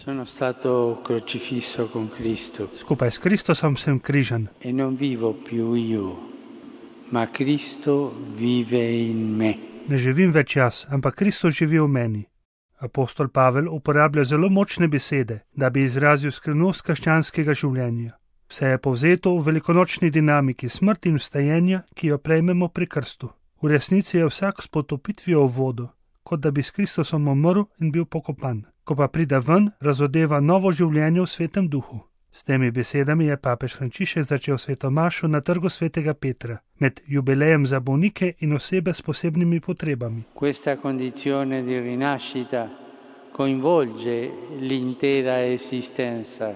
Sono stato crocifisso con Cristo Skupaj s Kristusom sem križan e non vivo più io, ma Cristo vive in me. ne živim več jaz, ampak Kristus živi v meni. Apostol Pavel uporablja zelo močne besede, da bi izrazil skrivnost krščanskega življenja. Vse je povzeto v velikonočni dinamiki smrti in vstajenja, ki jo prejmemo pri krstu. V resnici je vsak s potopitvijo v vodo, kot da bi s Kristusom umrl in bil pokopan. Ko pa pride ven, razodeva novo življenje v Svetem duhu. S temi besedami je papež Frančišek začel sveto mašo na trgu svetega Petra, med jubilejem za bolnike in osebe s posebnimi potrebami. Questa condizione di rinascita coinvolge l'intera esistenza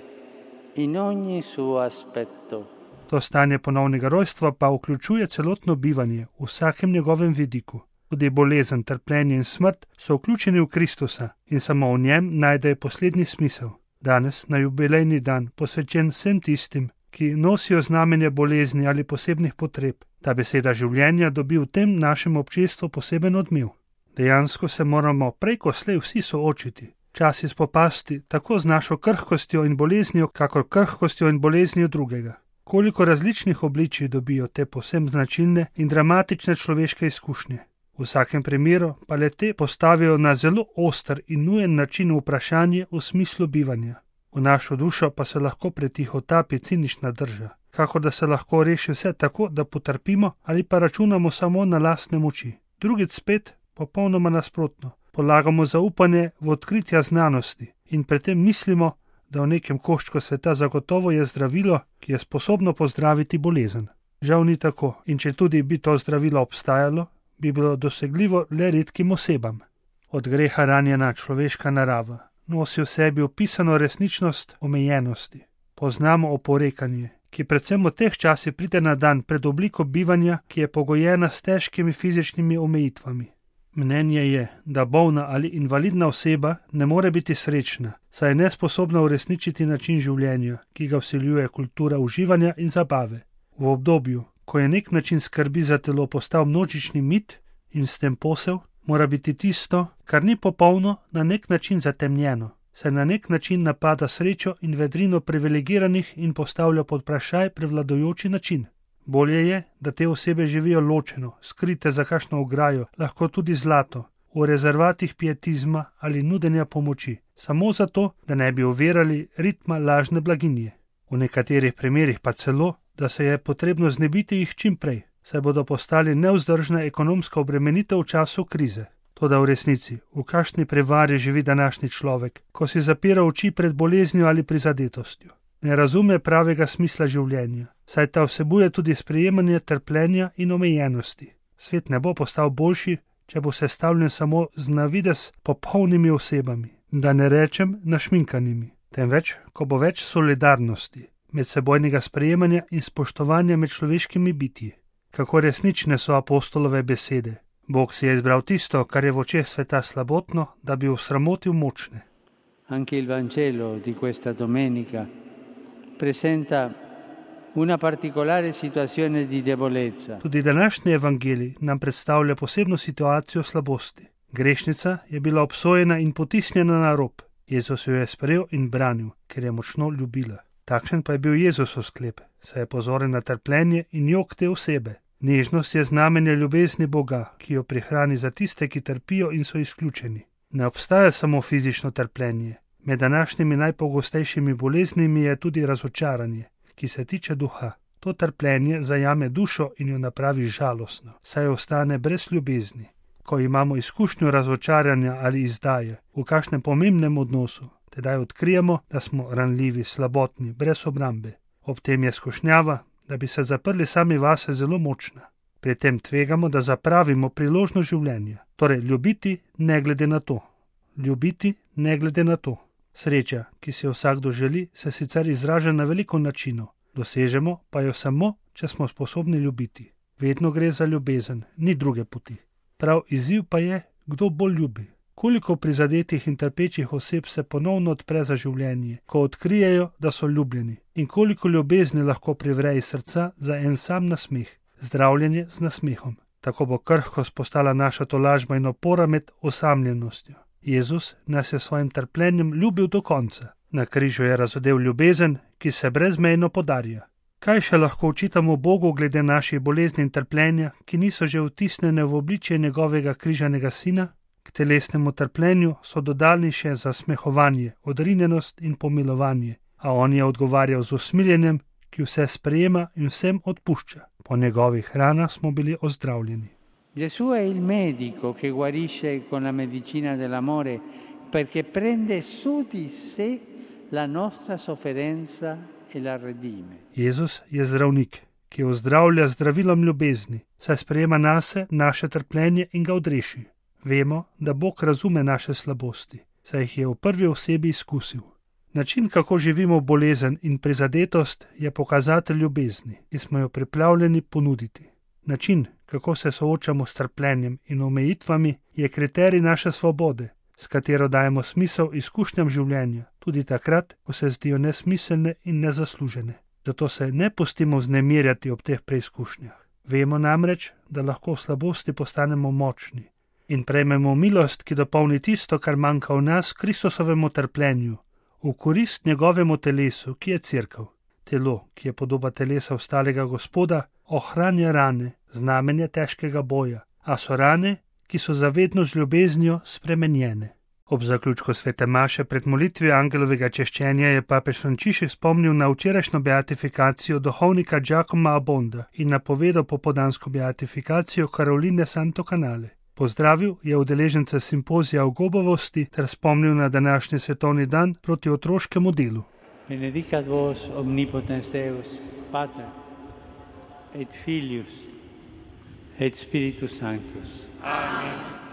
in ogni suo aspetto. To stanje ponovnega rojstva pa vključuje celotno bivanje v vsakem njegovem vidiku. Tudi bolezen, trpljenje in smrt so vključeni v Kristusa in samo v njem najdejo poslednji smisel. Danes, na jubilejni dan, posvečen vsem tistim, ki nosijo znamenje bolezni ali posebnih potreb, ta beseda življenja dobi v tem našem občestvu poseben odmev. Dejansko se moramo prej ko slej vsi soočiti, časi spopasti tako z našo krhkostjo in boleznijo, kakor krhkostjo in boleznijo drugega. Koliko različnih obličij dobijo te povsem značilne in dramatične človeške izkušnje. V vsakem primeru pa le te postavijo na zelo oster in nujen način vprašanje v smislu bivanja. V našo dušo pa se lahko pretihotapi cinična drža, kako da se lahko reši vse tako, da potrpimo ali pa računamo samo na lastne moči. Drugič spet, popolnoma nasprotno, polagamo zaupanje v odkritja znanosti in pri tem mislimo, da v nekem koščku sveta zagotovo je zdravilo, ki je sposobno pozdraviti bolezen. Žal ni tako, in če tudi bi to zdravilo obstajalo, bi bilo dosegljivo le redkim osebam. Od greha ranjena človeška narava nosi v sebi opisano resničnost omejenosti. Poznamo oporekanje, ki predvsem v teh časih pride na dan pred obliko bivanja, ki je pogojena s težkimi fizičnimi omejitvami. Mnenje je, da bolna ali invalidna oseba ne more biti srečna, saj je nesposobna uresničiti način življenja, ki ga vsiljuje kultura uživanja in zabave. V obdobju, ko je nek način skrbi za telo postal množični mit in s tem posel, mora biti tisto, kar ni popolno, na nek način zatemnjeno, saj na nek način napada srečo in vedrino privilegiranih in postavlja pod vprašaj prevladujoči način. Bolje je, da te osebe živijo ločeno, skrite za kakšno ograjo, lahko tudi zlato, v rezervatih pietizma ali nudenja pomoči, samo zato, da ne bi ovirali ritma lažne blaginje. V nekaterih primerih pa celo, da se je potrebno znebiti jih čim prej, saj bodo postali nevzdržna ekonomska obremenitev v času krize. Toda v resnici, v kakšni prevari živi današnji človek, ko si zapira oči pred boleznijo ali prizadetostjo. Ne razume pravega smisla življenja, saj ta vsebuje tudi sprejemanje trpljenja in omejenosti. Svet ne bo postal boljši, če bo sestavljen samo z na videz popolnimi osebami, da ne rečem našminkanimi, temveč, ko bo več solidarnosti, medsebojnega sprejemanja in spoštovanja med človeškimi bitji. Kako resnične so apostolove besede. Bog si je izbral tisto, kar je v očeh sveta slabotno, da bi osramotil močne. Anche il Vangelo di questa domenica presenta una particolare situazione di debolezza. Tudi današnji evangelij nam predstavlja posebno situacijo slabosti. Grešnica je bila obsojena in potisnjena na rob. Jezus jo je sprejel in branil, ker je močno ljubila. Takšen pa je bil Jezusov sklep, saj je pozoren na trpljenje in jok te osebe. Nežnost je znamenje ljubezni Boga, ki jo prihrani za tiste, ki trpijo in so izključeni. Ne obstaja samo fizično trpljenje. Med današnjimi najpogostejšimi boleznimi je tudi razočaranje, ki se tiče duha. To trpljenje zajame dušo in jo napravi žalostno, saj ostane brez ljubezni. Ko imamo izkušnjo razočaranja ali izdaje v kakšnem pomembnem odnosu, tedaj odkrijemo, da smo ranljivi, slabotni, brez obrambe. Ob tem je skušnjava, da bi se zaprli sami vase, zelo močna. Pri tem tvegamo, da zapravimo priložnost življenja. Torej, ljubiti ne glede na to. Ljubiti ne glede na to. Sreča, ki si jo vsakdo želi, se sicer izraža na veliko načinov. Dosežemo pa jo samo, če smo sposobni ljubiti. Vedno gre za ljubezen, ni druge poti. Prav izziv pa je, kdo bolj ljubi. Koliko prizadetih in trpečih oseb se ponovno odpre za življenje, ko odkrijejo, da so ljubljeni, in koliko ljubezni lahko privre iz srca za en sam nasmeh, zdravljenje z nasmehom. Tako bo krhkost postala naša tolažba in opora med osamljenostjo. Jezus nas je s svojim trpljenjem ljubil do konca. Na križu je razodel ljubezen, ki se brezmejno podarja. Kaj še lahko očitamo Bogu glede naših bolezni in trpljenja, ki niso že vtisnjene v obličje njegovega križanega sina? K telesnemu trpljenju so dodali še zasmehovanje, odrinjenost in pomilovanje, a on je odgovarjal z usmiljenjem, ki vse sprejema in vsem odpušča. Po njegovih ranah smo bili ozdravljeni. Gesù è il medico che guarisce con la medicina dell'amore perché prende su di sé la nostra sofferenza e la redime. Jezus je zdravnik, ki ozdravlja zdravilom ljubezni, saj sprejema nase naše trpljenje in ga odreši. Vemo, da Bog razume naše slabosti, saj jih je v prvi osebi izkusil. Način, kako živimo bolezen in prizadetost, je pokazatelj ljubezni, ki smo jo pripravljeni ponuditi. Način, kako se soočamo s trpljenjem in omejitvami, je kriterij naše svobode, s katero dajemo smisel izkušnjam življenja, tudi takrat, ko se zdijo nesmiselne in nezaslužene. Zato se ne pustimo vznemirjati ob teh preizkušnjah. Vemo namreč, da lahko v slabosti postanemo močni in prejmemo milost, ki dopolni tisto, kar manjka v nas, Kristusovemu trpljenju, v korist njegovemu telesu, ki je cerkev. Telo, ki je podoba telesa ostalega Gospoda, ohranja rane, znamenje težkega boja, a so rane, ki so zavedno z ljubeznijo spremenjene. Ob zaključku svete maše pred molitvijo angelovega češčenja je papež Frančišek spomnil na včerajšnjo beatifikacijo duhovnika Giacomo Abbonda in napovedal popoldansko beatifikacijo Caroline Santo Canale. Pozdravil je udeležence simpozija o gobovosti ter spomnil na današnji svetovni dan proti otroškemu delu. Benedicat vos omnipotens Deus, Pater, et Filius, et Spiritus Sanctus. Amen.